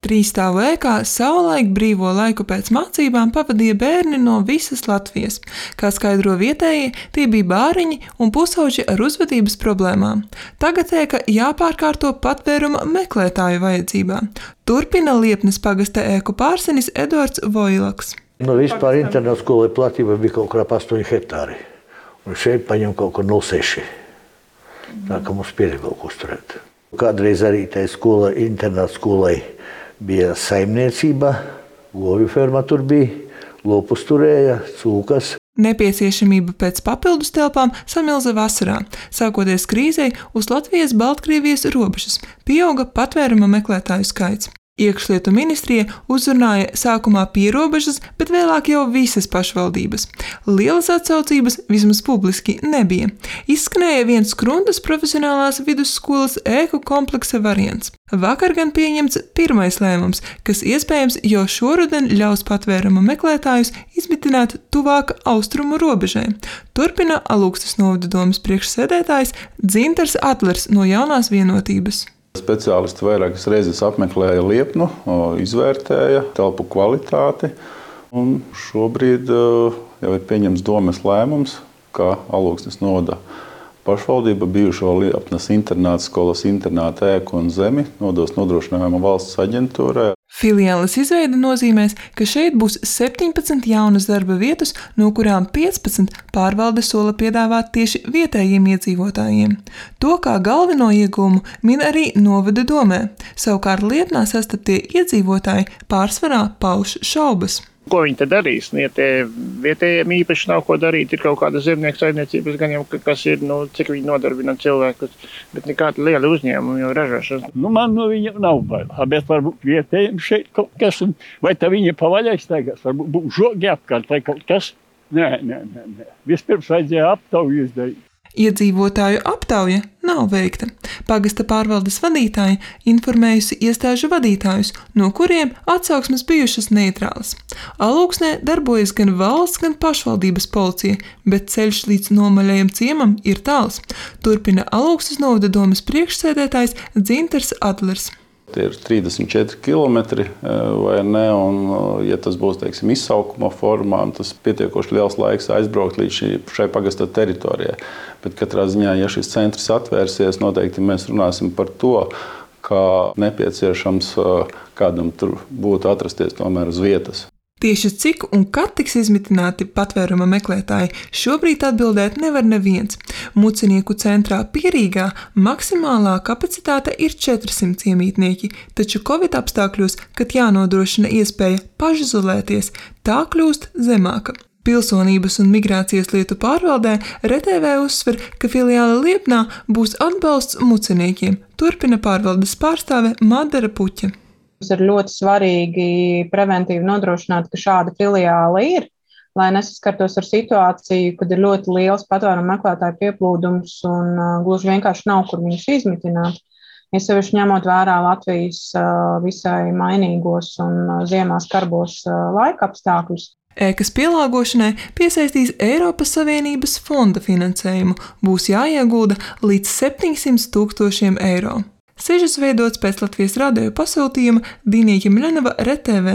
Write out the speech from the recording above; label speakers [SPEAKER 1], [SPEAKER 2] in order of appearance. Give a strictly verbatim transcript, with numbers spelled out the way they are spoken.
[SPEAKER 1] Trīsstāvu ēkā savulaik brīvo laiku pēc mācībām pavadīja bērni no visas Latvijas. Kā skaidro vietējie, tie bija bāriņi un pusauģi ar uzvedības problēmām. Tagad ēka jāpārkārto patvēruma meklētāju vajadzībām. Turpina Liepnes pagasta ēku pārsenis Eduards Voilaks.
[SPEAKER 2] Nu, vispār internāta skolai platība bija kaut kā ap astoņi hektāri. Un šeit paņem kaut kur nulle seši. Tā kā mums pieredz kaut ko uzturēt. Kādreiz arī tai skolai, internāta skolai bija saimniecība, govju ferma tur bija, lopus turēja, cūkas.
[SPEAKER 1] Nepieciešamība pēc papildus telpām samilza vasarā. Sākoties krīzei, uz Latvijas-Baltkrievijas robežas pieauga patvēruma meklētāju skaits. Iekšlietu ministrija uzrunāja sākumā pierobežas, bet vēlāk jau visas pašvaldības. Lielas atsaucības vismaz publiski nebija. Izskanēja viens Skrundas profesionālās vidusskolas ēku kompleksa variants. Vakar gan pieņemts pirmais lēmums, kas iespējams jau šoruden ļaus patvēruma meklētājus izmitināt tuvāk austrumu robežai. Turpina Alūkstes novada domes priekšsēdētājs Dzintars Atlers no Jaunās vienotības.
[SPEAKER 3] Speciālisti vairākas reizes apmeklēja Liepnu, izvērtēja telpu kvalitāti, un šobrīd jau ir pieņemts domes lēmums, ka Alūkstes novada pašvaldība bijušo Liepnes internāta skolas internāta ēku un zemi nodos nodrošinājuma valsts aģentūrai.
[SPEAKER 1] Filiāles izveide nozīmēs, ka šeit būs septiņpadsmit jaunas darba vietas, no kurām piecpadsmit pārvalde sola piedāvāt tieši vietējiem iedzīvotājiem. To kā galveno iegūmu min arī novada domē. Savukārt Liepnā sastaptie iedzīvotāji pārsvarā pauž šaubas.
[SPEAKER 4] Ko viņi te darīs? Ja tie vietējiem īpaši nav ko darīt, ir kaut kāda zemnieku saimniecības, gan jau kas ir, nu, cik viņi nodarbina cilvēkus, bet nekāda liela uzņēmuma jau ražošana.
[SPEAKER 5] Nu, man no viņa nav bail, bet varbūt vietējiem šeit kaut kas, vai tā viņa pavaļais tagad, varbūt būs žogi apkārt, vai kaut kas. Nē, nē, nē, nē. Vispirms vajadzēja aptauju izdarīt.
[SPEAKER 1] Iedzīvotāju aptauja nav veikta. Pagasta pārvaldes vadītāja informējusi iestāžu vadītājus, no kuriem atsauksmes bijušas neitrālas. Alūksnē darbojas gan valsts, gan pašvaldības policija, bet ceļš līdz nomaļajam ciemam ir tāls. Turpina Alūkstes novada domes priekšsēdētājs Dzintars Atlers.
[SPEAKER 3] Tie ir trīsdesmit četri kilometri, vai ne, un ja tas būs, teiksim, izsaukuma formā, tas pietiekoši liels laiks aizbraukt līdz šī, šai pagasta teritorijai. Bet katrā ziņā, ja šis centrs atvērsies, noteikti mēs runāsim par to, ka nepieciešams kādam tur būtu atrasties tomēr uz vietas.
[SPEAKER 1] Tieši cik un kad tiks izmitināti patvēruma meklētāji, šobrīd atbildēt nevar neviens. Mucinieku centrā Pierīgā maksimālā kapacitāte ir četrsimt ciemītnieki, taču Covid apstākļos, kad jānodrošina iespēja pašizolēties, tā kļūst zemāka. Pilsonības un migrācijas lietu pārvaldē R T V uzsver, ka filiāle Liepnā būs atbalsts muciniekiem, turpina pārvaldes pārstāve Madara Puķa.
[SPEAKER 6] Mums ir ļoti svarīgi preventīvi nodrošināt, ka šāda filiāle ir, lai nesaskartos ar situāciju, kad ir ļoti liels patvēruma meklētāju pieplūdums un uh, gluži vienkārši nav, kur viņus izmitināt. Ja sevišķi ņemot vērā Latvijas uh, visai mainīgos un uh, ziemā skarbos uh, laika apstākļus.
[SPEAKER 1] Ēkas pielāgošanai piesaistīs Eiropas Savienības fonda finansējumu, būs jāiegulda līdz septiņsimt tūkstošiem eiro. Sižets veidots pēc Latvijas radio pasūtījuma Dīnija Ķemļanova R T V.